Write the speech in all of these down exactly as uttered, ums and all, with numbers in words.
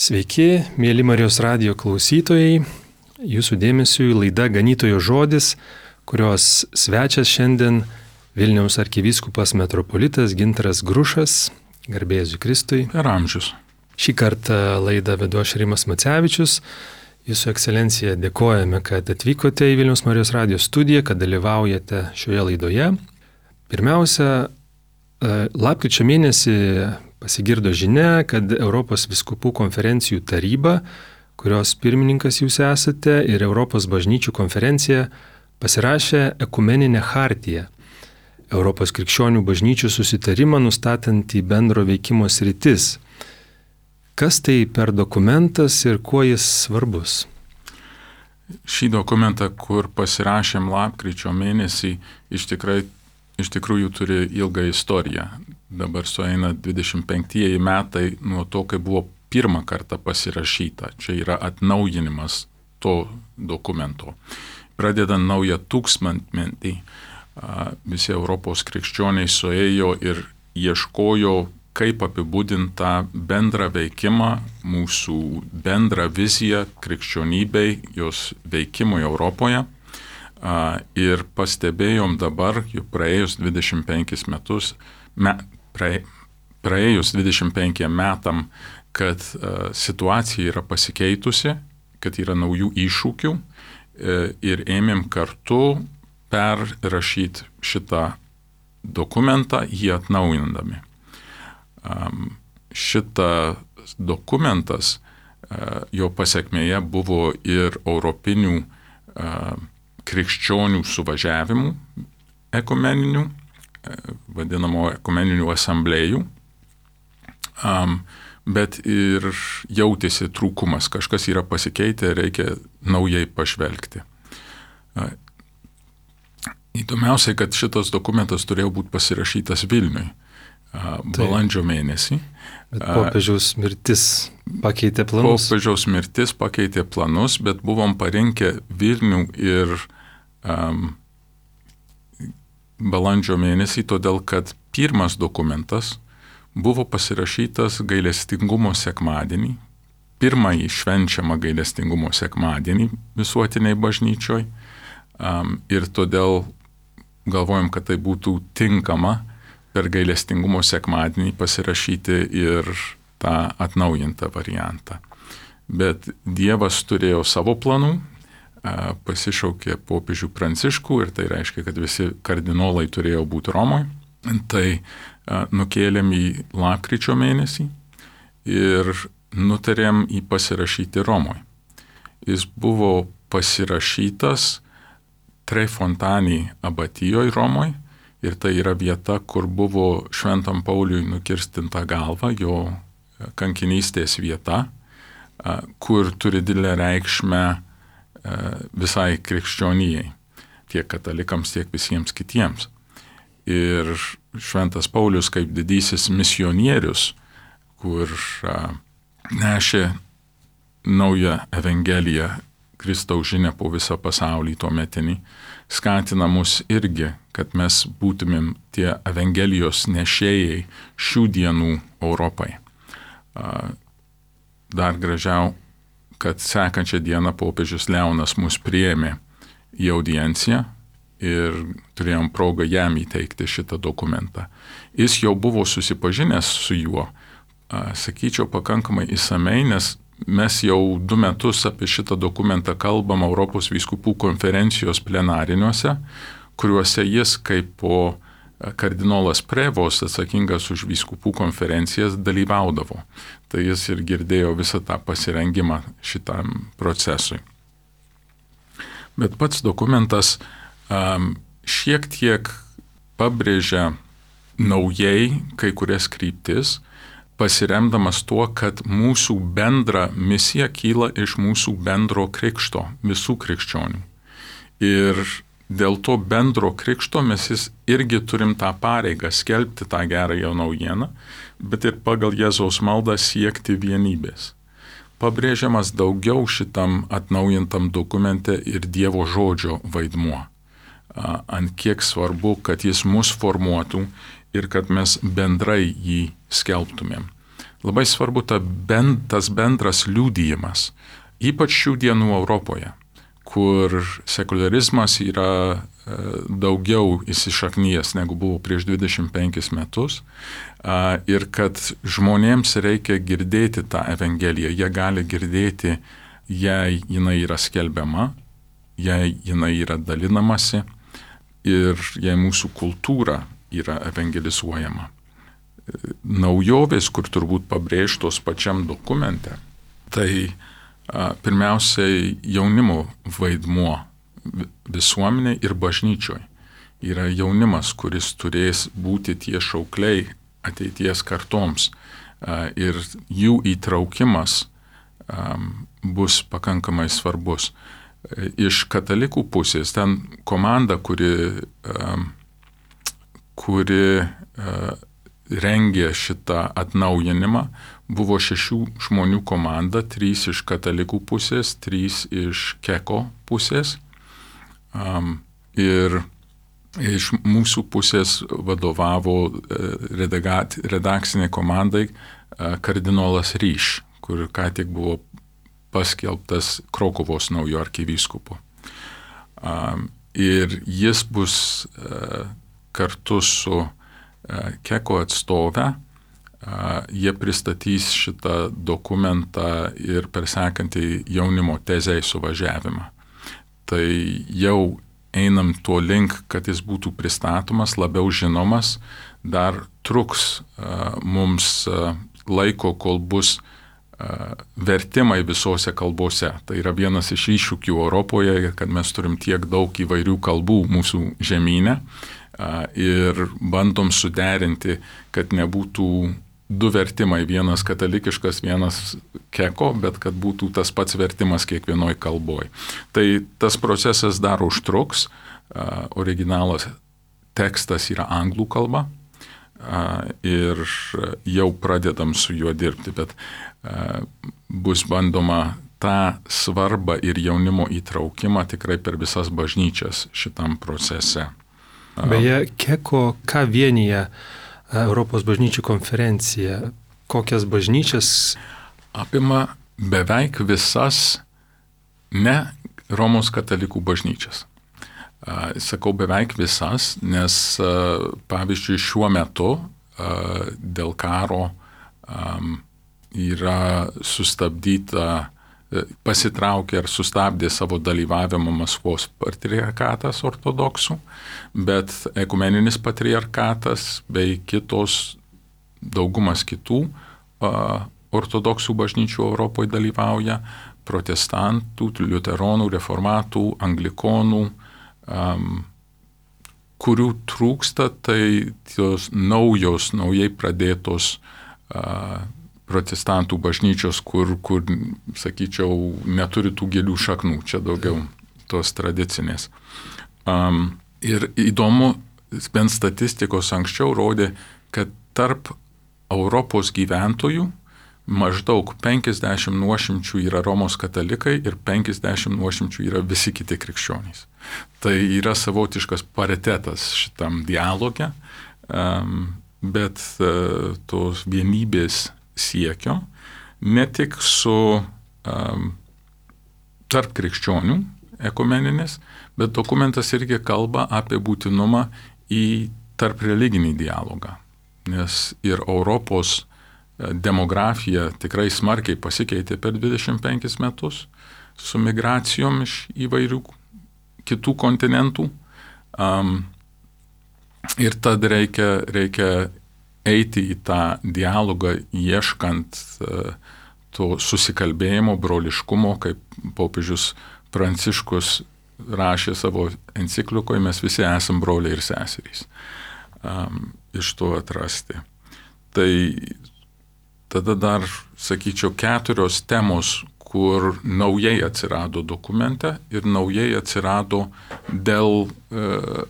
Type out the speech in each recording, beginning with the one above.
Sveiki, mėly Marijos radijo klausytojai. Jūsų dėmesiui laida Ganytojo žodis, kurios svečias šiandien Vilniaus arkivyskupas metropolitas Gintaras Grušas, garbė Jėzui Kristui. Per amžius. Šį kartą laidą vedu aš Rimas Macevičius. Jūsų ekscelencija, dėkojame, kad atvykote į Vilniaus Marijos radijo studiją, kad dalyvaujate šioje laidoje. Pirmiausia, lapkričio mėnesį pasigirdo žinia, kad Europos vyskupų konferencijų taryba, kurios pirmininkas jūs esate, ir Europos bažnyčių konferencija pasirašė ekumeninę chartiją, Europos krikščionių bažnyčių susitarimą nustatantį bendro veikimo sritis. Kas tai per dokumentas ir kuo jis svarbus? Šį dokumentą, kur pasirašėm lapkričio mėnesį, iš, tikrai, iš tikrųjų turi ilgą istoriją. Dabar sueina dvidešimt penktieji metai nuo to, kai buvo pirmą kartą pasirašyta. Čia yra atnaujinimas to dokumento. Pradedant naują tūkstantmetį, visi Europos krikščioniai suėjo ir ieškojo, kaip apibūdinti tą bendrą veikimą, mūsų bendrą viziją krikščionybei, jos veikimui Europoje. Ir pastebėjom dabar, jau praėjus dvidešimt penkis metus, me, praė, praėjus dvidešimt penkiem metam, kad uh, situacija yra pasikeitusi, kad yra naujų iššūkių uh, ir ėmėm kartu perrašyti šitą dokumentą, jį atnaujindami. Um, šitas dokumentas, uh, jo pasekmėje buvo ir europinių uh, krikščionių suvažiavimų ekumeninių, vadinamo ekumeninių asamblėjų, um, bet ir jautėsi trūkumas, kažkas yra pasikeitę, reikia naujai pažvelgti. Uh, įdomiausiai, kad šitas dokumentas turėjo būti pasirašytas Vilniui uh, balandžio mėnesį. Bet popiežiaus mirtis pakeitė planus. Popiežiaus mirtis pakeitė planus, bet buvom parinkę Vilnių ir um, balandžio mėnesį, todėl kad pirmas dokumentas buvo pasirašytas gailestingumo sekmadienį, pirmąjį švenčiamą gailestingumo sekmadienį visuotiniai bažnyčioj, um, ir todėl galvojom, kad tai būtų tinkama per gailestingumo sekmadienį pasirašyti ir tą atnaujintą variantą. Bet Dievas turėjo savo planų, pasišaukė popiežių Pranciškų ir tai reiškia, kad visi kardinolai turėjo būti Romoje. Tai nukėlėm į lapkričio mėnesį ir nutarėm jį pasirašyti Romoje. Jis buvo pasirašytas Tre Fontani abatijoje Romoje ir tai yra vieta, kur buvo Šventam Pauliui nukirstinta galva, jo kankinystės vieta, kur turi didelę reikšmę visai krikščionijai, tiek katalikams, tiek visiems kitiems. Ir Šventas Paulius kaip didysis misionierius, kur a, nešė naują evangeliją, Kristaus žinią po visą pasaulį tuometinį, skatina mus irgi, kad mes būtumėm tie evangelijos nešėjai šių dienų Europai. A, dar gražiau, kad sekančią dieną popiežius Leonas mus priėmė į audienciją ir turėjom progą jam įteikti šitą dokumentą. Jis jau buvo susipažinęs su juo, sakyčiau, pakankamai išsamei, nes mes jau du metus apie šitą dokumentą kalbam Europos vyskupų konferencijos plenariniuose, kuriuose jis kaip po kardinolas Prevos, atsakingas už vyskupų konferencijas, dalyvaudavo. Tai jis ir girdėjo visą tą pasirengimą šitam procesui. Bet pats dokumentas um, šiek tiek pabrėžia naujai kai kurias kryptis, pasiremdamas tuo, kad mūsų bendra misija kyla iš mūsų bendro krikšto, visų krikščionių. Ir dėl to bendro krikšto mes jis irgi turim tą pareigą skelbti tą gerąją naujieną, bet ir pagal Jėzaus maldą siekti vienybės. Pabrėžiamas daugiau šitam atnaujintam dokumente ir Dievo žodžio vaidmuo. Ant kiek svarbu, kad jis mus formuotų ir kad mes bendrai jį skelbtumėm. labai svarbu ta bend, tas bendras liudijimas, ypač šių dienų Europoje, kur sekularizmas yra e, daugiau įsišaknyjęs negu buvo prieš dvidešimt penkis metus e, ir kad žmonėms reikia girdėti tą Evangeliją, jie gali girdėti, jei jinai yra skelbiama, jei jinai yra dalinamasi ir jei mūsų kultūra yra evangelizuojama. Naujovės, kur turbūt pabrėžtos pačiam dokumente, tai a, pirmiausiai jaunimo vaidmuo visuomenė ir bažnyčioj. Yra jaunimas, kuris turės būti tie šaukliai ateities kartoms a, ir jų įtraukimas a, bus pakankamai svarbus. Iš katalikų pusės ten komanda, kuri, a, kuri a, rengė šitą atnaujinimą, buvo šešių žmonių komanda, trys iš katalikų pusės, trys iš Keko pusės. Um, ir iš mūsų pusės vadovavo redagat, redakcinė komandai kardinolas Ryš, kur ką tik buvo paskelbtas Krokuvos naujo arkivyskupu. Um, ir jis bus uh, kartu su Keko atstovę, jie pristatys šitą dokumentą ir per sekantį jaunimo tezei suvažiavimą. Tai jau einam tuo link, kad jis būtų pristatomas, labiau žinomas, dar truks mums laiko, kol bus vertimai visose kalbose. Tai yra vienas iš iššūkių Europoje, kad mes turim tiek daug įvairių kalbų mūsų žemyne. Ir bandom suderinti, kad nebūtų du vertimai, vienas katalikiškas, vienas Keko, bet kad būtų tas pats vertimas kiekvienoj kalboj. Tai tas procesas dar užtruks, originalas tekstas yra anglų kalba ir jau pradedam su juo dirbti, bet bus bandoma tą svarbą ir jaunimo įtraukimą tikrai per visas bažnyčias šitam procese. Beje, Keko, ką vienyje Europos bažnyčių konferencija, kokias bažnyčias? Apima beveik visas ne Romos katalikų bažnyčias. Sakau beveik visas, nes pavyzdžiui šiuo metu dėl karo yra sustabdyta, pasitraukė ar sustabdė savo dalyvavimą Maskvos patriarchatas ortodoksų, bet ekumeninis patriarchatas bei kitos, daugumas kitų a, ortodoksų bažnyčių Europoje dalyvauja, protestantų, liuteronų, reformatų, anglikonų, a, kurių trūksta, tai tos naujos, naujai pradėtos a, protestantų bažnyčios, kur, kur, sakyčiau, neturi tų gilių šaknų, čia daugiau tos tradicinės. Um, ir įdomu, bent statistikos anksčiau rodė, kad tarp Europos gyventojų maždaug penkiasdešimt nuošimčių yra Romos katalikai ir penkiasdešimt nuošimčių yra visi kiti krikščionys. Tai yra savotiškas paritetas šitam dialoge, um, bet uh, tos vienybės siekio, ne tik su um, tarp krikščionių ekumeninis, bet dokumentas irgi kalba apie būtinumą į tarp religinį dialogą. Nes ir Europos demografija tikrai smarkiai pasikeitė per dvidešimt penkis metus su migracijom iš įvairių kitų kontinentų. Um, ir tad reikia, reikia eiti į tą dialogą, ieškant uh, to susikalbėjimo, broliškumo, kaip popiežius Pranciškus rašė savo enciklikoje, mes visi esam broliai ir seserys. Um, iš to atrasti. Tai tada dar, sakyčiau, keturios temos, kur naujai atsirado dokumente ir naujai atsirado dėl e,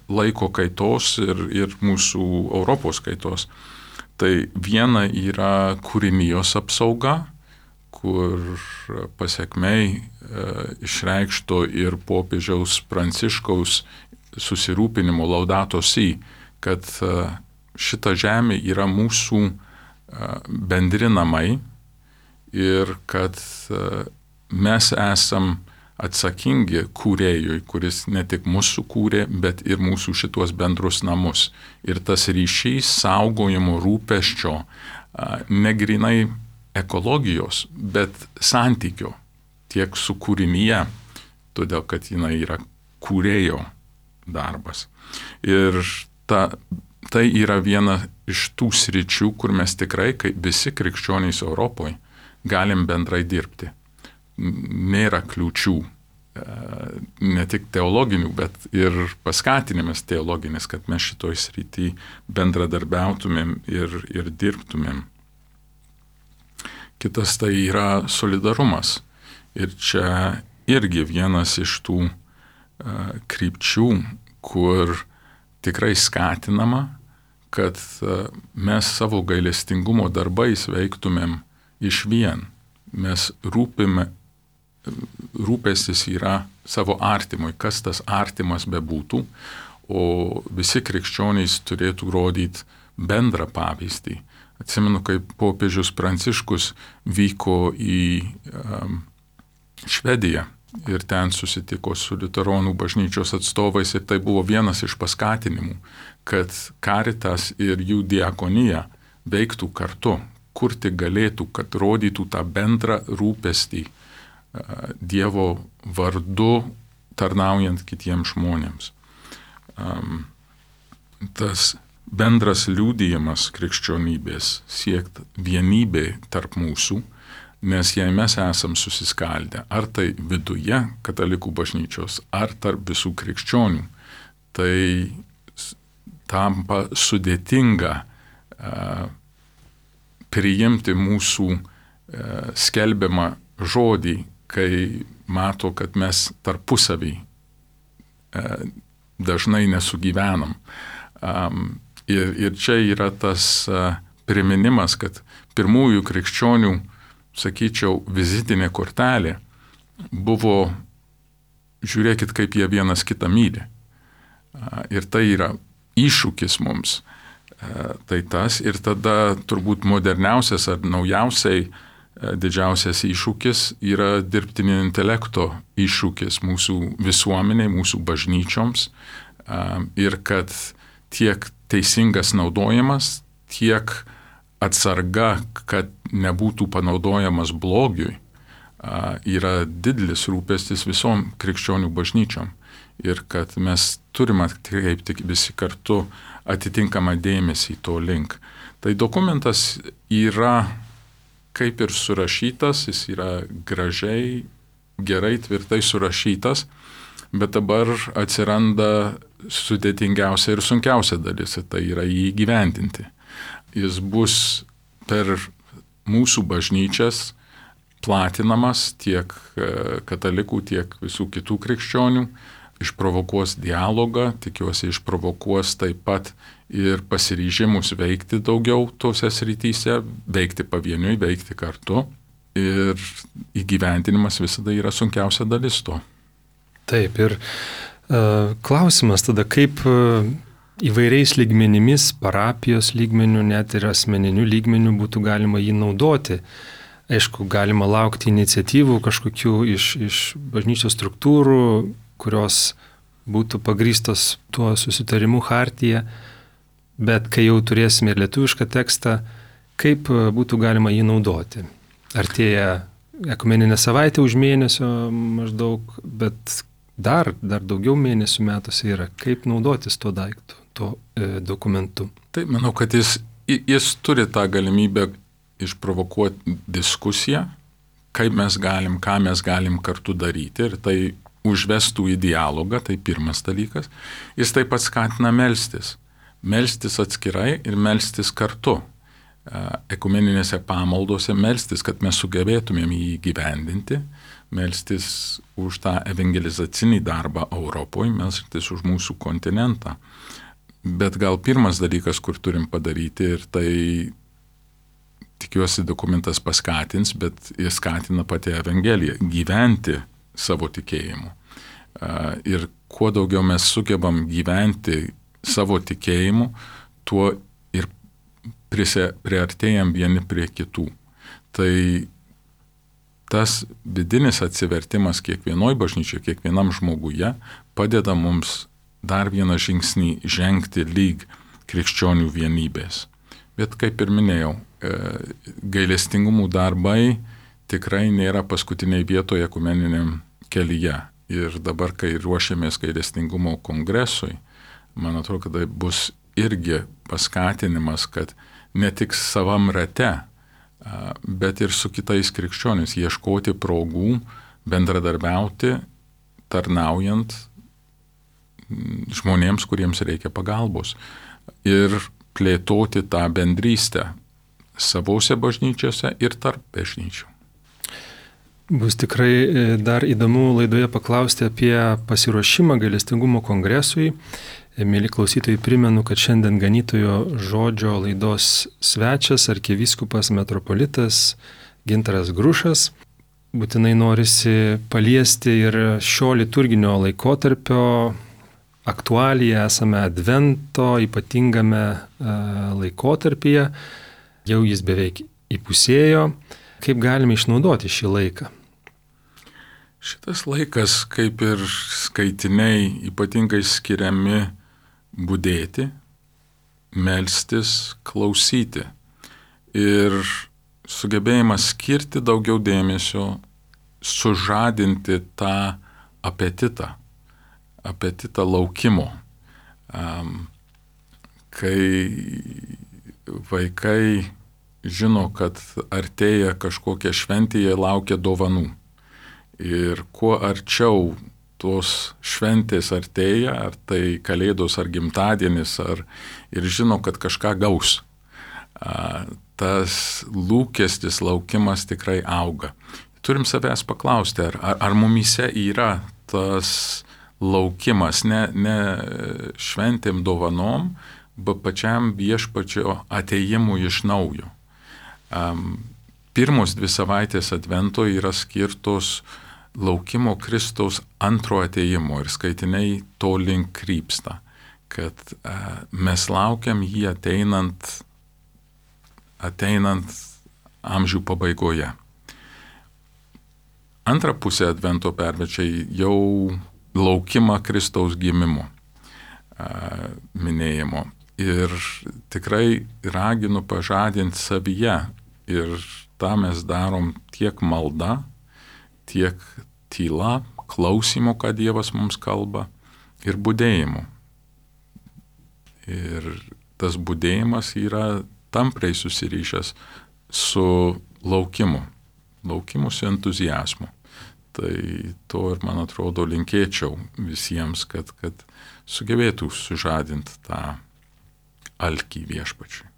laiko kaitos ir, ir mūsų Europos kaitos. Tai viena yra kūrinijos apsauga, kur pasiekmei e, išreikšto ir popiežiaus Pranciškaus susirūpinimo Laudato Si, kad e, šita žemė yra mūsų bendri namai ir kad mes esam atsakingi kūrėjui, kuris ne tik mūsų kūrė, bet ir mūsų šitos bendrus namus. Ir tas ryšys saugojimo rūpesčio negrinai ekologijos, bet santykio tiek su kūrinyje, todėl kad jinai yra kūrėjo darbas. Ir ta, tai yra viena iš tų sričių, kur mes tikrai, kaip visi krikščionys Europoje, galim bendrai dirbti. Nėra kliūčių, ne tik teologinių, bet ir paskatinimas teologinis, kad mes šitoj srity bendradarbiautumėm ir, ir dirbtumėm. Kitas tai yra solidarumas. Ir čia irgi vienas iš tų uh, krypčių, kur tikrai skatinama, kad uh, mes savo gailestingumo darbais veiktumėm išvien. Mes rūpime, rūpestis yra savo artimui, kas tas artimas bebūtų, o visi krikščionys turėtų rodyti bendrą pavyzdį. Atsimenu, kaip popiežius Pranciškus vyko į um, Švediją ir ten susitiko su liuteronų bažnyčios atstovais ir tai buvo vienas iš paskatinimų, kad Caritas ir jų diakonija veiktų kartu, kur tik galėtų, kad rodytų tą bendrą rūpestį Dievo vardu tarnaujant kitiems žmonėms. Tas bendras liudijimas krikščionybės siekt vienybė tarp mūsų, nes jei mes esam susiskaldę, ar tai viduje katalikų bažnyčios, ar tarp visų krikščionių, tai tampa sudėtinga uh, priimti mūsų uh, skelbiamą žodį, kai mato, kad mes tarpusavį uh, dažnai nesugyvenam. Um, ir, ir čia yra tas uh, priminimas, kad pirmųjų krikščionių, sakyčiau, vizitinė kortelė buvo, žiūrėkit, kaip jie vienas kitą myli. Uh, ir tai yra iššūkis mums. Uh, tai tas ir tada turbūt moderniausias ar naujausiai uh, didžiausias iššūkis yra dirbtinio intelekto iššūkis mūsų visuomeniai, mūsų bažnyčioms. Uh, ir kad tiek teisingas naudojimas, tiek atsarga, kad nebūtų panaudojamas blogiui, yra didelis rūpestis visom krikščionių bažnyčiom. Ir kad mes turime atkreipti visi kartu atitinkamą dėmesį to link. Tai dokumentas yra kaip ir surašytas, jis yra gražiai, gerai, tvirtai surašytas, bet dabar atsiranda sudėtingiausia ir sunkiausia dalis, tai yra jį įgyvendinti. Jis bus per mūsų bažnyčias platinamas tiek katalikų, tiek visų kitų krikščionių, išprovokuos dialogą, tikiuosi išprovokuos taip pat ir pasiryžimus veikti daugiau tose srityse, veikti pavieniui, veikti kartu. Ir įgyvendinimas visada yra sunkiausia dalis to. Taip, ir uh, klausimas tada, kaip uh, įvairiais lygmenimis, parapijos lygmenių, net ir asmeninių lygmenių būtų galima jį naudoti. Aišku, galima laukti iniciatyvų kažkokių iš, iš bažnyčios struktūrų, kurios būtų pagrįstos tuo susitarimu chartyje, bet kai jau turėsime ir lietuvišką tekstą, kaip būtų galima jį naudoti. Artėja ekumeninė savaitė už mėnesio maždaug, bet dar, dar daugiau mėnesių metuose yra, kaip naudotis tuo daiktu, tuo e, dokumentu. Tai manau, kad jis, jis turi tą galimybę išprovokuoti diskusiją, kaip mes galim, ką mes galim kartu daryti, ir tai užvestų į dialogą, tai pirmas dalykas. Jis taip pat skatina melstis. Melstis atskirai ir melstis kartu. Ekumeninėse pamaldose melstis, kad mes sugebėtumėm jį gyvendinti, melstis už tą evangelizacinį darbą Europoje, melstis už mūsų kontinentą. Bet gal pirmas dalykas, kur turim padaryti, ir tai tikiuosi dokumentas paskatins, bet jis skatina pati Evangelija gyventi savo tikėjimu. Ir kuo daugiau mes sugebam gyventi savo tikėjimu, tuo ir priartėjam vieni prie kitų. Tai tas vidinis atsivertimas kiekvienoj bažnyčioj, kiekvienam žmoguje padeda mums dar vieną žingsnį žengti lyg krikščionių vienybės. Bet kaip ir minėjau, gailestingumų darbai tikrai nėra paskutiniai vietoje ekumeniniam kelyje. Ir dabar, kai ruošiamės gailestingumo kongresui, man atrodo, kad tai bus irgi paskatinimas, kad ne tik savam rate, bet ir su kitais krikščionis ieškoti progų, bendradarbiauti, tarnaujant žmonėms, kuriems reikia pagalbos. Ir plėtoti tą bendrystę savose bažnyčiose ir tarp bažnyčių. Bus tikrai dar įdomu laidoje paklausti apie pasiruošimą gailestingumo kongresui. Mėly klausytojai, primenu, kad šiandien ganytojo žodžio laidos svečias arkivyskupas metropolitas Gintaras Grušas. Būtinai norisi paliesti ir šio liturginio laikotarpio aktualiją, esame Advento ypatingame laikotarpyje, jau jis beveik įpusėjo. Kaip galime išnaudoti šį laiką? Šitas laikas, kaip ir skaitiniai, ypatingai skiriami budėti, melstis, klausyti. Ir sugebėjimas skirti daugiau dėmesio, sužadinti tą apetitą, apetitą laukimo. Kai vaikai žino, kad artėja kažkokia šventė, jie laukia dovanų. Ir kuo arčiau tos šventės artėja, ar tai kalėdos, ar gimtadienis, ar ir žino, kad kažką gaus, tas lūkestis, laukimas tikrai auga. Turim savęs paklausti, ar, ar, ar mumyse yra tas laukimas, ne, ne šventėm dovanom, bet pačiam viešpačio atėjimui iš naujo. Um, pirmos dvi savaitės Advento yra skirtos laukimo Kristaus antro atėjimo ir skaitiniai to link krypsta, kad uh, mes laukiam jį ateinant, ateinant amžių pabaigoje. Antra pusė Advento pervečia jau laukimą Kristaus gimimo uh, minėjimo. Ir tikrai raginu pažadinti savyje. Ir tą mes darom tiek malda, tiek tyla, klausimo, ką Dievas mums kalba, ir budėjimu. Ir tas budėjimas yra tampriai susirišęs su laukimu, laukimu su entuziazmu. Tai to ir, man atrodo, linkėčiau visiems, kad, kad sugebėtų sužadinti tą alkį viešpačiui.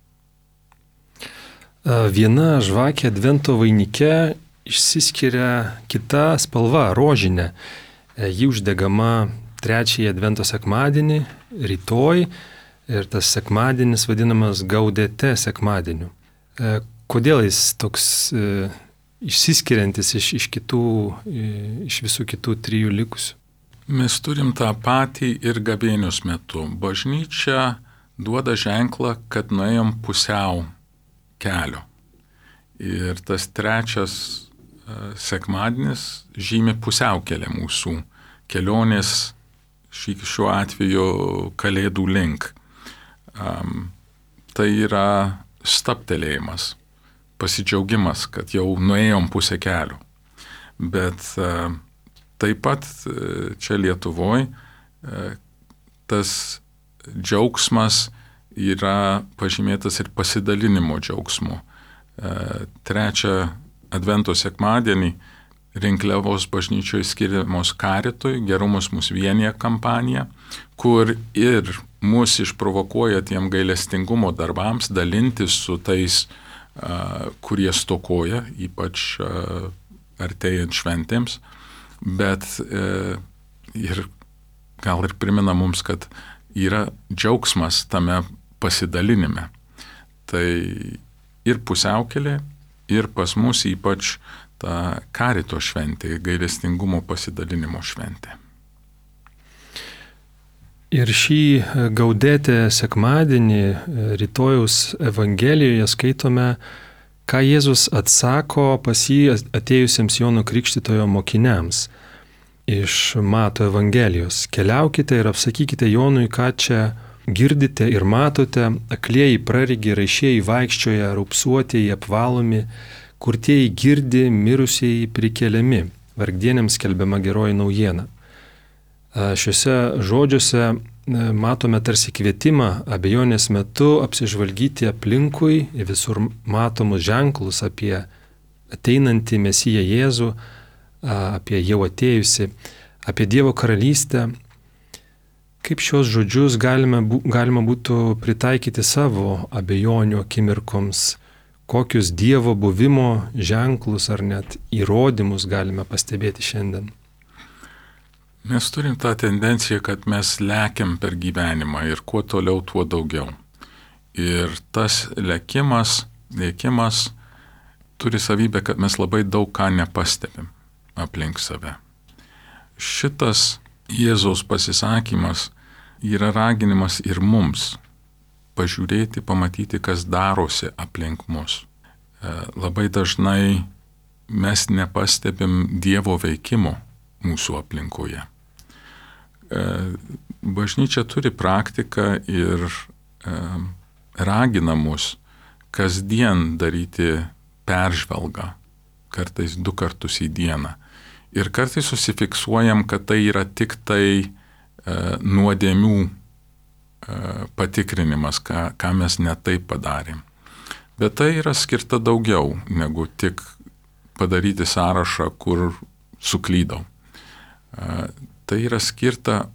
Viena žvakė Advento vainike išsiskiria kita spalva, rožinė. Ji uždegama trečiąjį Advento sekmadienį, rytoj, ir tas sekmadienis vadinamas Gaudete sekmadieniu. Kodėl jis toks išsiskiriantis iš, iš, kitų, iš visų kitų trijų likusių? Mes turim tą patį ir gavėnios metu. Bažnyčia duoda ženklą, kad nuėjom pusiau kelio. Ir tas trečias uh, sekmadienis žymi pusiaukelę mūsų kelionės, šį, šiuo atveju kalėdų link. Um, tai yra stabtelėjimas, pasidžiaugimas, kad jau nuėjom pusę kelio. Bet uh, taip pat uh, čia Lietuvoje uh, tas džiaugsmas yra pažymėtas ir pasidalinimo džiaugsmu. Trečią Advento sekmadienį Rinkliavos bažnyčioje skiriamos karitui, gerumas mus vienija kampanija, kur ir mus išprovokuoja tiem gailestingumo darbams dalintis su tais, kurie stokoja, ypač artėjant šventėms, bet ir gal ir primena mums, kad yra džiaugsmas tame pasidalinime. Tai ir pusiaukelė, ir pas mus ypač ta karito šventė, gailestingumo pasidalinimo šventė. Ir šį Gaudete sekmadienį rytojaus Evangelijoje skaitome, ką Jėzus atsako pas jį atėjusiems Jono Krikštytojo mokiniams. Iš Mato Evangelijos. Keliaukite ir apsakykite Jonui, ką čia girdite ir matote, aklieji praregi, raišieji vaikščioja, raupsuotieji apvalomi, kurtieji girdi, mirusieji prikeliami, vargdienėms skelbiama geroji naujiena. Šiuose žodžiuose matome tarsi kvietimą abejonės metu apsižvalgyti aplinkui į visur matomus ženklus apie ateinantį Mesiją Jėzų, apie jau atėjusi, apie Dievo karalystę. Kaip šios žodžius galime, galima būtų pritaikyti savo abejonių akimirkoms, kokius Dievo buvimo ženklus ar net įrodymus galime pastebėti šiandien. Mes turim tą tendenciją, kad mes lekiam per gyvenimą ir kuo toliau, tuo daugiau. Ir tas lekimas, lėkimas turi savybę, kad mes labai daug ką nepastebim aplink save. Šitas Jėzaus pasisakymas yra raginimas ir mums pažiūrėti, pamatyti, kas darosi aplink mus. Labai dažnai mes nepastebim Dievo veikimo mūsų aplinkoje. Bažnyčia turi praktiką ir ragina mus kasdien daryti peržvalgą, kartais du kartus į dieną. Ir kartais susifiksuojam, kad tai yra tik tai nuodėmių patikrinimas, ką, ką mes ne taip padarėm. Bet tai yra skirta daugiau negu tik padaryti sąrašą, kur suklydau. Tai yra skirta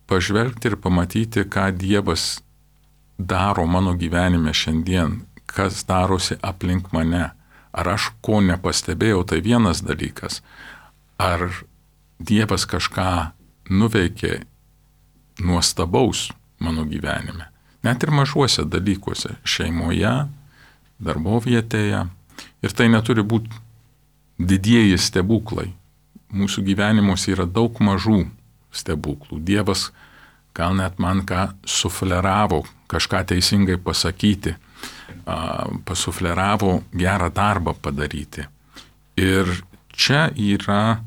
pažvelgti ir pamatyti, ką Dievas daro mano gyvenime šiandien, kas darosi aplink mane. Ar aš ko nepastebėjau, tai vienas dalykas. Ar Dievas kažką nuveikė nuostabaus mano gyvenime. Net ir mažuose dalykuose, šeimoje, darbovietėje. Ir tai neturi būti didieji stebuklai. Mūsų gyvenimuose yra daug mažų stebuklų. Dievas gal net man ką sufleravo, kažką teisingai pasakyti, pasufleravo gerą darbą padaryti. Ir čia yra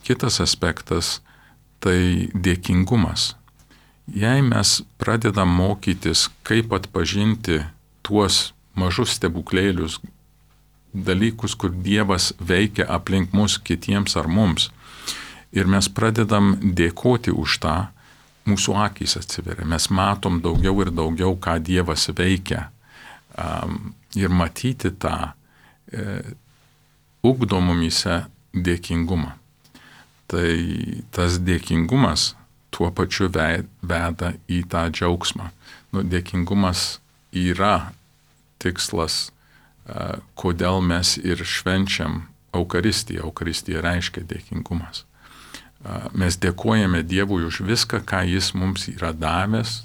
kitas aspektas, tai dėkingumas. Jei mes pradedam mokytis, kaip atpažinti tuos mažus stebuklėlius, dalykus, kur Dievas veikia aplink mus kitiems ar mums, ir mes pradedam dėkoti už tą, mūsų akys atsiveria. Mes matom daugiau ir daugiau, ką Dievas veikia. Um, ir matyti tą e, ugdo mumyse dėkingumą. Tai tas dėkingumas tuo pačiu veda į tą džiaugsmą. Nu, dėkingumas yra tikslas, kodėl mes ir švenčiam Eucharistiją. Eucharistija reiškia dėkingumas. Mes dėkojame Dievui už viską, ką Jis mums yra davęs,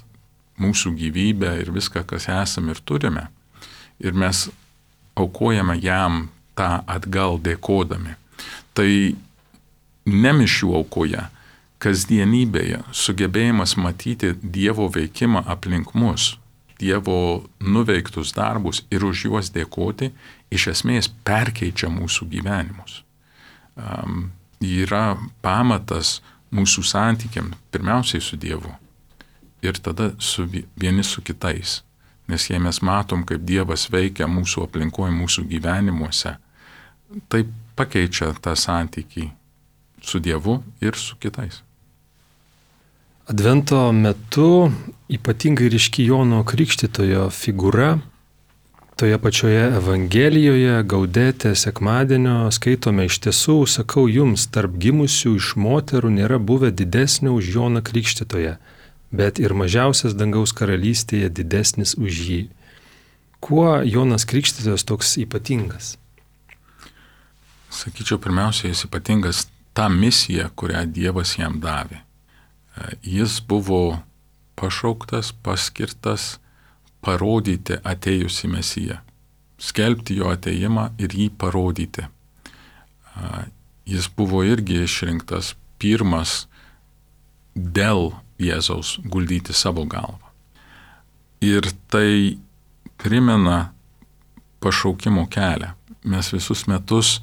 mūsų gyvybę ir viską, kas esame ir turime. Ir mes aukojame jam tą atgal dėkodami. Tai ne mišių aukoje, kasdienybėje sugebėjimas matyti Dievo veikimą aplink mus, Dievo nuveiktus darbus ir už juos dėkoti, iš esmės perkeičia mūsų gyvenimus. Um, yra pamatas mūsų santykiam, pirmiausiai su Dievu ir tada su vieni su kitais. Nes jei mes matom, kaip Dievas veikia mūsų aplinkoje, mūsų gyvenimuose, tai pakeičia tą santykį su Dievu ir su kitais. Advento metu ypatingai ryški Jono Krikštytojo figūra. Toje pačioje Evangelijoje, Gaudete sekmadienio skaitome: iš tiesų, sakau jums, tarp gimusių iš moterų nėra buvę didesnio už Joną Krikštytoją, bet ir mažiausias dangaus karalystėje didesnis už jį. Kuo Jonas Krikštytojas toks ypatingas? Sakyčiau, pirmiausia, jis ypatingas tą misiją, kurią Dievas jam davė. Jis buvo pašauktas, paskirtas parodyti atėjusį Mesiją, skelbti jo atėjimą ir jį parodyti. Jis buvo irgi išrinktas pirmas dėl Jėzaus guldyti savo galvą. Ir tai primena pašaukimo kelią. Mes visus metus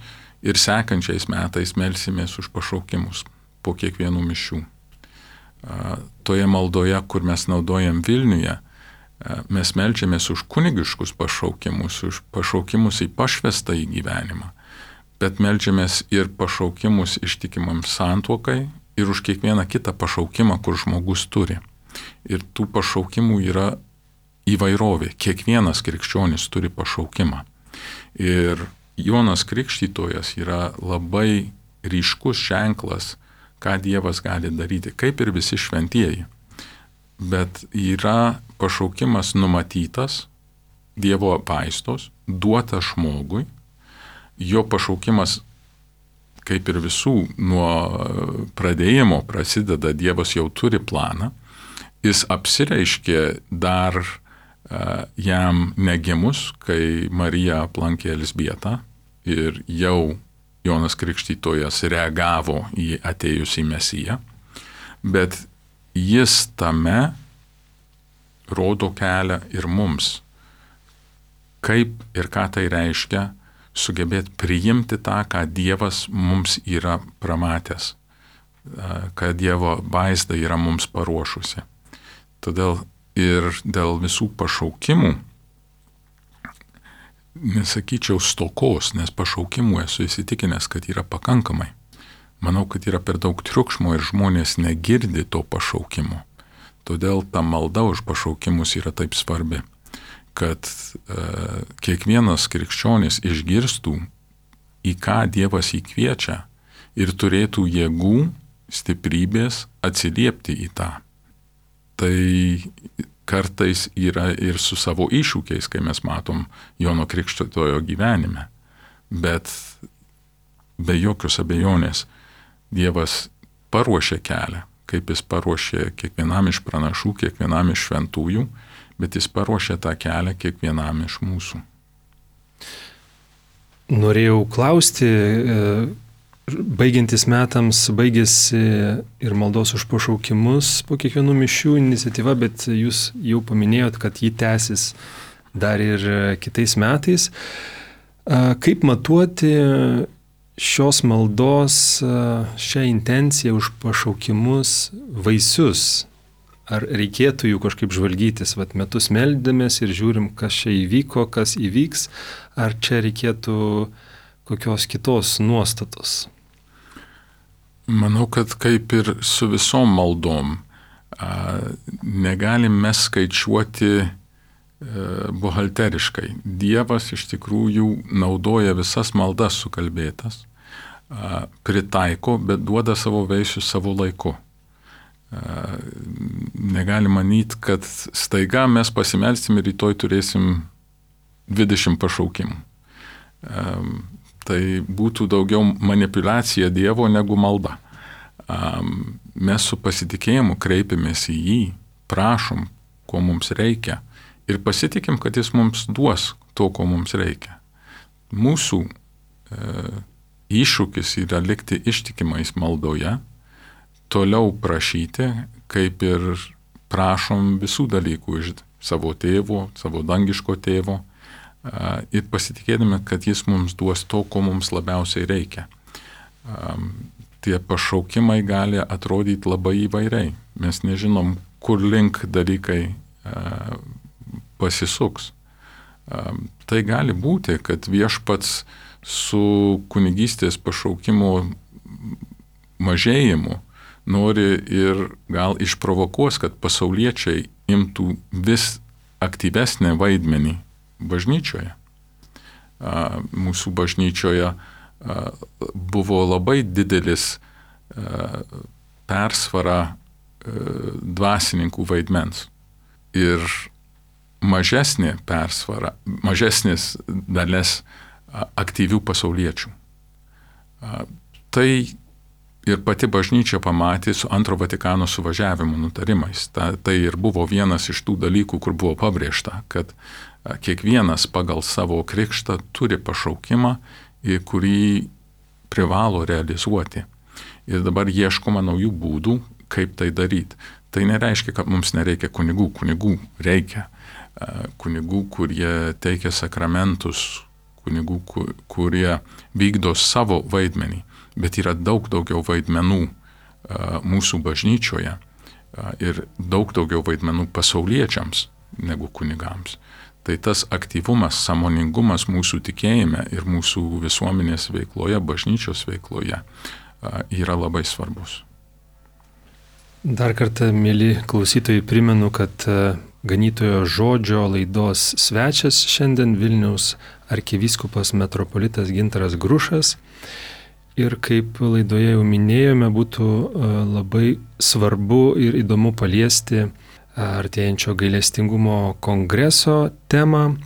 ir sekančiais metais melsimės už pašaukimus po kiekvienų mišių. Toje maldoje, kur mes naudojam Vilniuje, mes meldžiamės už kunigiškus pašaukimus, už pašaukimus į pašvestą į gyvenimą, bet meldžiamės ir pašaukimus ištikimam santuokai ir už kiekvieną kitą pašaukimą, kur žmogus turi. Ir tų pašaukimų yra įvairovė. Kiekvienas krikščionis turi pašaukimą. Ir Jonas Krikštytojas yra labai ryškus ženklas, ką Dievas gali daryti, kaip ir visi šventieji. Bet yra pašaukimas numatytas, Dievo apvaizdos, duotas žmogui. Jo pašaukimas, kaip ir visų, nuo pradėjimo prasideda, Dievas jau turi planą. Jis apsireiškė dar uh, jam negimus, kai Marija aplankė Elzbietą ir jau Jonas Krikštytojas reagavo į atėjusį Mesiją, bet jis tame rodo kelią ir mums, kaip ir ką tai reiškia sugebėti priimti tą, ką Dievas mums yra pramatęs, kad Dievo vaizda yra mums paruošusi. Todėl ir dėl visų pašaukimų, nesakyčiau stokos, nes pašaukimų esu įsitikinęs, kad yra pakankamai. Manau, kad yra per daug triukšmo ir žmonės negirdi to pašaukimo. Todėl ta malda už pašaukimus yra taip svarbi, kad e, kiekvienas krikščionis išgirstų, į ką Dievas jį kviečia ir turėtų jėgų, stiprybės atsiliepti į tą. Tai kartais yra ir su savo iššūkiais, kai mes matom Jono Krikštytojo gyvenime. Bet be jokios abejonės Dievas paruošė kelią, kaip jis paruošė kiekvienam iš pranašų, kiekvienam iš šventųjų, bet jis paruošė tą kelią kiekvienam iš mūsų. Norėjau klausti, baigiantis metams, baigėsi ir maldos už pašaukimus po kiekvienų mišių iniciatyva, bet jūs jau paminėjot, kad jį tęsis dar ir kitais metais. Kaip matuoti šios maldos, šią intenciją už pašaukimus vaisius? Ar reikėtų jų kažkaip žvalgytis, vat metus meldėmės ir žiūrim, kas čia įvyko, kas įvyks, ar čia reikėtų kokios kitos nuostatos? Manau, kad kaip ir su visom maldom, negalim mes skaičiuoti buhalteriškai. Dievas iš tikrųjų naudoja visas maldas sukalbėtas, pritaiko, bet duoda savo vaisius savo laiku. Negali manyti, kad staiga mes pasimelsim ir rytoj turėsim dvidešimt pašaukimų. Tai būtų daugiau manipulacija Dievo negu malda. Mes su pasitikėjimu kreipiamės į jį, prašom, ko mums reikia ir pasitikim, kad jis mums duos to, ko mums reikia. Mūsų e, iššūkis yra likti ištikimais maldoje, toliau prašyti, kaip ir prašom visų dalykų iš savo tėvo, savo dangiško tėvo, ir pasitikėdami, kad jis mums duos to, ko mums labiausiai reikia. Tie pašaukimai gali atrodyti labai įvairiai. Mes nežinom, kur link dalykai pasisuks. Tai gali būti, kad viešpats su kunigystės pašaukimu mažėjimu nori ir gal išprovokuos, kad pasauliečiai imtų vis aktyvesnį vaidmenį bažnyčioje. Mūsų bažnyčioje buvo labai didelis persvara dvasininkų vaidmens ir mažesnė persvara, mažesnis dalis aktyvių pasauliečių. Tai ir pati bažnyčia pamatė su antro Vatikano suvažiavimo nutarimais. Ta, tai ir buvo vienas iš tų dalykų, kur buvo pabrėžta, kad kiekvienas pagal savo krikštą turi pašaukimą, kurį privalo realizuoti. Ir dabar ieškoma naujų būdų, kaip tai daryti. Tai nereiškia, kad mums nereikia kunigų. Kunigų reikia. Kunigų, kurie teikia sakramentus, kunigų, kurie vykdo savo vaidmenį. Bet yra daug daugiau vaidmenų mūsų bažnyčioje ir daug daugiau vaidmenų pasauliečiams negu kunigams. Tai tas aktyvumas, sąmoningumas mūsų tikėjime ir mūsų visuomenės veikloje, bažnyčios veikloje yra labai svarbus. Dar kartą, mėly klausytojai, primenu, kad Ganytojo žodžio laidos svečias šiandien Vilniaus arkivyskupas metropolitas Gintaras Grušas. Ir kaip laidoje jau minėjome, būtų labai svarbu ir įdomu paliesti artėjančio gailestingumo kongreso temą.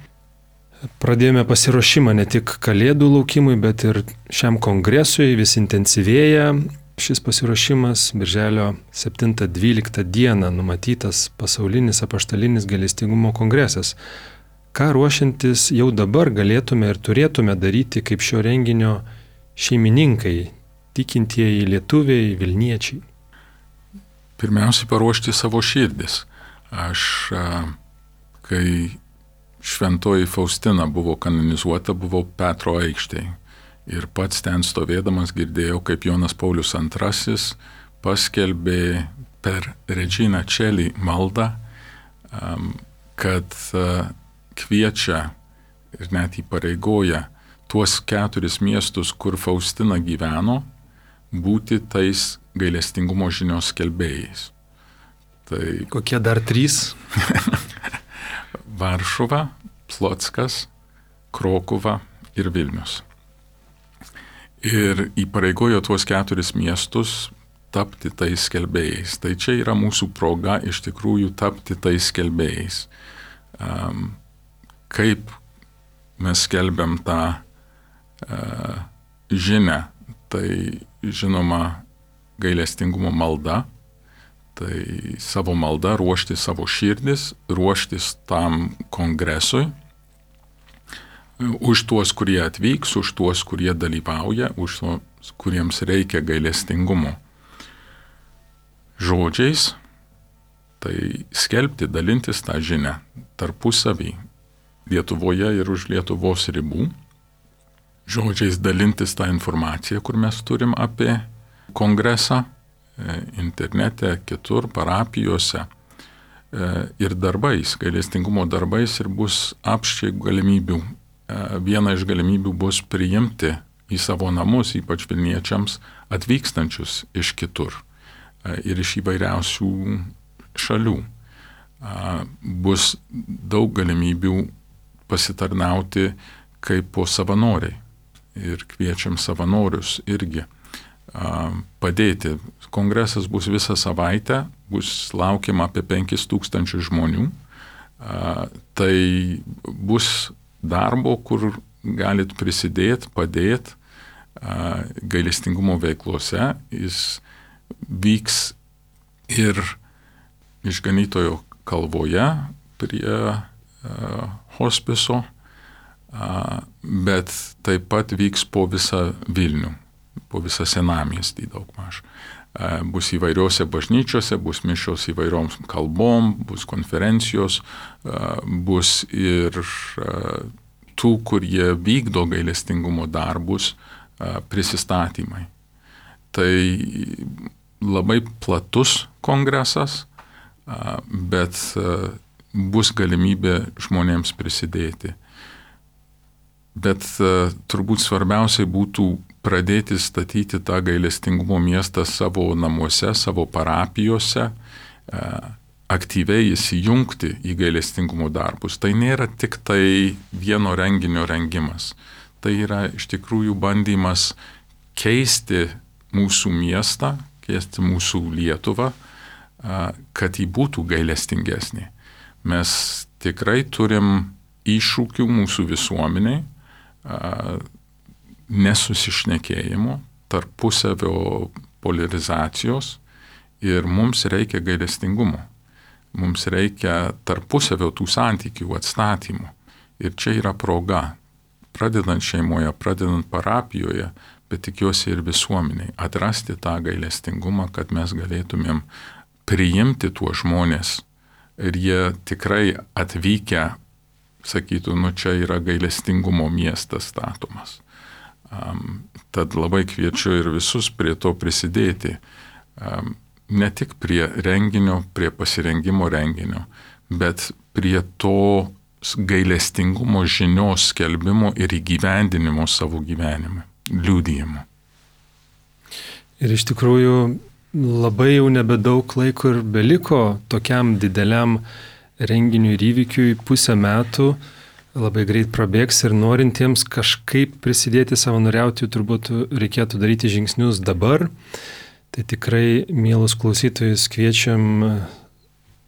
Pradėjome pasiruošimą ne tik Kalėdų laukimui, bet ir šiam kongresui vis intensyvėja. Šis pasiruošimas birželio septintą dvyliktą dieną numatytas pasaulinis apaštalinis gailestingumo kongresas. Ką ruošiantis jau dabar galėtume ir turėtume daryti kaip šio renginio šeimininkai, tikintieji lietuviai, vilniečiai? Pirmiausiai paruošti savo širdis. Aš, kai šventoji Faustina buvo kanonizuota, buvau Petro aikštėje. Ir pats ten stovėdamas girdėjau, kaip Jonas Paulius antrasis paskelbė per Regina Coeli maldą, kad kviečia ir net įpareigoja tuos keturis miestus, kur Faustina gyveno, būti tais gailestingumo žinios skelbėjais. Tai kokie dar trys? Varšuva, Plockas, Krokuva ir Vilnius. Ir įpareigojo tuos keturis miestus tapti tais skelbėjais. Tai čia yra mūsų proga iš tikrųjų tapti tais skelbėjais. Um, kaip mes skelbiam tą uh, žinią, tai žinoma gailestingumo malda, tai savo malda, ruošti savo širdis, ruoštis tam kongresui, už tuos, kurie atvyks, už tuos, kurie dalyvauja, už tuos, kuriems reikia gailestingumo. Žodžiais, tai skelbti, dalintis tą žinią tarpusavį Lietuvoje ir už Lietuvos ribų. Žodžiais dalintis tą informaciją, kur mes turim apie kongresą, internete, kitur, parapijose ir darbais, gailestingumo darbais ir bus apščiai galimybių. Viena iš galimybių bus priimti į savo namus, ypač vilniečiams, atvykstančius iš kitur ir iš įvairiausių šalių. Bus daug galimybių pasitarnauti kaip po savanoriai ir kviečiam savanorius irgi padėti. Kongresas bus visą savaitę, bus laukiama apie penkis tūkstančius žmonių. Tai bus darbo, kur galit prisidėti, padėti gailestingumo veiklose. Jis vyks ir Išganytojo kalvoje prie hospiso, bet taip pat vyks po visą Vilnių, po visą senamiestį daugmaž. Bus įvairiose bažnyčiose, bus mišios įvairioms kalbom, bus konferencijos, bus ir tų, kurie vykdo gailestingumo darbus, prisistatymai. Tai labai platus kongresas, bet bus galimybė žmonėms prisidėti. Bet turbūt svarbiausiai būtų pradėti statyti tą gailestingumo miestą savo namuose, savo parapijose, aktyviai įsijungti į gailestingumo darbus. Tai nėra tik tai vieno renginio rengimas. Tai yra iš tikrųjų bandymas keisti mūsų miestą, keisti mūsų Lietuvą, kad ji būtų gailestingesnė. Mes tikrai turim iššūkių mūsų visuomeniai, nesusišnekėjimo, tarpusavio polarizacijos ir mums reikia gailestingumo. Mums reikia tarpusavio tų santykių atstatymų. Ir čia yra proga, pradedant šeimoje, pradedant parapijoje, bet tikiuosi ir visuomeniai, atrasti tą gailestingumą, kad mes galėtumėm priimti tuos žmonės ir jie tikrai atvykę sakytų, nu čia yra gailestingumo miestas statomas. Um, tad labai kviečiu ir visus prie to prisidėti, um, ne tik prie renginio, prie pasirengimo renginio, bet prie to gailestingumo žinios skelbimo ir įgyvendinimo savo gyvenime, liudijimo. Ir iš tikrųjų labai jau nebedaug laiko ir beliko tokiam dideliam renginiui ir įvykiui, pusę metų labai greit prabėgs ir norintiems kažkaip prisidėti savanoriauti, turbūt reikėtų daryti žingsnius dabar. Tai tikrai, mielus klausytojus, kviečiam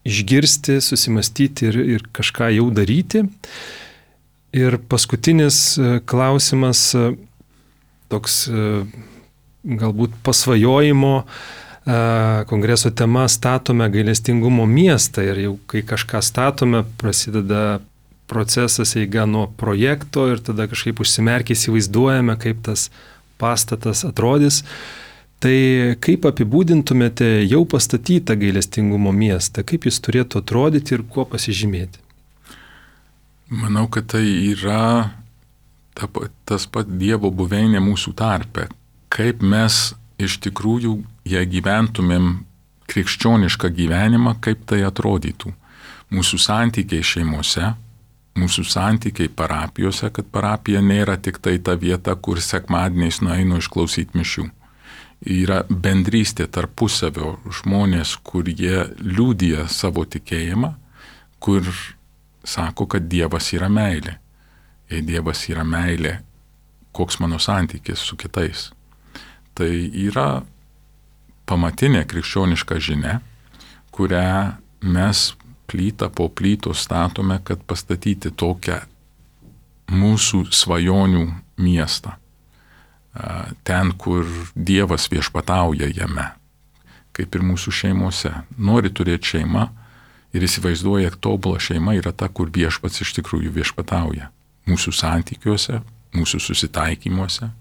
išgirsti, susimastyti ir, ir kažką jau daryti. Ir paskutinis klausimas, toks galbūt pasvajojimo kongreso tema statome gailestingumo miestą. Ir jau kai kažką statome, prasideda procesas eiga nuo projekto ir tada kažkaip užsimerkę įsivaizduojame, kaip tas pastatas atrodys. Tai kaip apibūdintumėte jau pastatytą gailestingumo miestą, kaip jis turėtų atrodyti ir kuo pasižymėti? Manau, kad tai yra ta, tas pat Dievo buveinė mūsų tarpe. Kaip mes iš tikrųjų, jei gyventumėm krikščionišką gyvenimą, kaip tai atrodytų. Mūsų santykiai šeimose, mūsų santykiai parapijose, kad parapija nėra tik tai ta vieta, kur sekmadieniais nueinu išklausyti mišių. Yra bendrystė tarpusavio žmonės, kur jie liudija savo tikėjimą, kur sako, kad Dievas yra meilė. Jei Dievas yra meilė, koks mano santykis su kitais. Tai yra pamatinė krikščioniška žinia, kurią mes plytą po plytos statome, kad pastatyti tokią mūsų svajonių miestą. Ten, kur Dievas viešpatauja jame, kaip ir mūsų šeimose. Nori turėti šeimą ir įsivaizduoja, kad tobula šeima yra ta, kur viešpats iš tikrųjų viešpatauja. Mūsų santykiuose, mūsų susitaikymuose.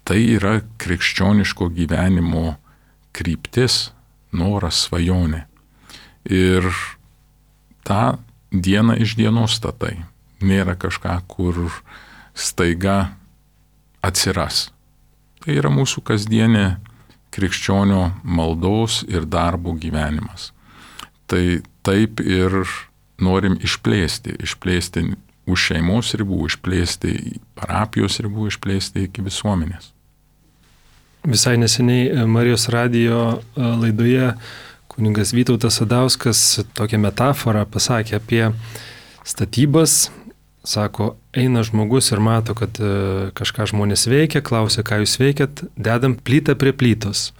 Tai yra krikščioniško gyvenimo kryptis, noras, svajonė. Ir tą dieną iš dienos statai. Nėra kažką, kur staiga atsiras. Tai yra mūsų kasdienė krikščionio maldos ir darbo gyvenimas. Tai taip ir norim išplėsti, išplėsti už šeimos ribų, išplėsti parapijos ribų, išplėsti iki visuomenės. Visai neseniai Marijos radijo laidoje kunigas Vytautas Sadauskas tokią metaforą pasakė apie statybas. Sako, eina žmogus ir mato, kad kažką žmonės veikia, klausia, ką jūs veikiat, dedam plytą prie plytos.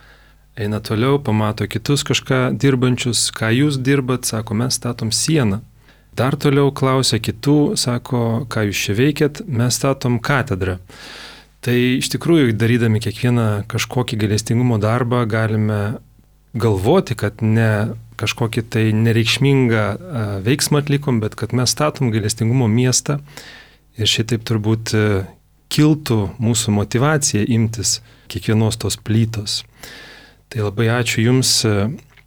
Eina toliau, pamato kitus kažką dirbančius, ką jūs dirbat, sako, mes statom sieną. Dar toliau klausia kitų, sako, ką jūs čia veikiat, mes statom katedrą. Tai iš tikrųjų, darydami kiekvieną kažkokį gailestingumo darbą, galime galvoti, kad ne kažkokį tai nereikšmingą veiksmą atlikom, bet kad mes statom gailestingumo miestą ir šitaip turbūt kiltų mūsų motyvacija imtis kiekvienos tos plytos. Tai labai ačiū Jums,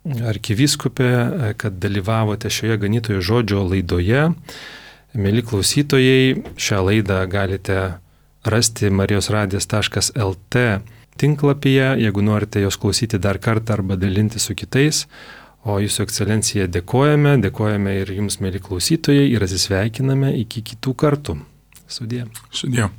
arkivyskupė, kad dalyvavote šioje ganytojo žodžio laidoje. Mieli klausytojai, šią laidą galite rasti marijos radijas taškas el te tinklapyje, jeigu norite jos klausyti dar kartą arba dalinti su kitais. O Jūsų ekscelencija dėkojame, dėkojame ir Jums, mieli klausytojai, ir atsisveikiname iki kitų kartų. Sudie. Sudie.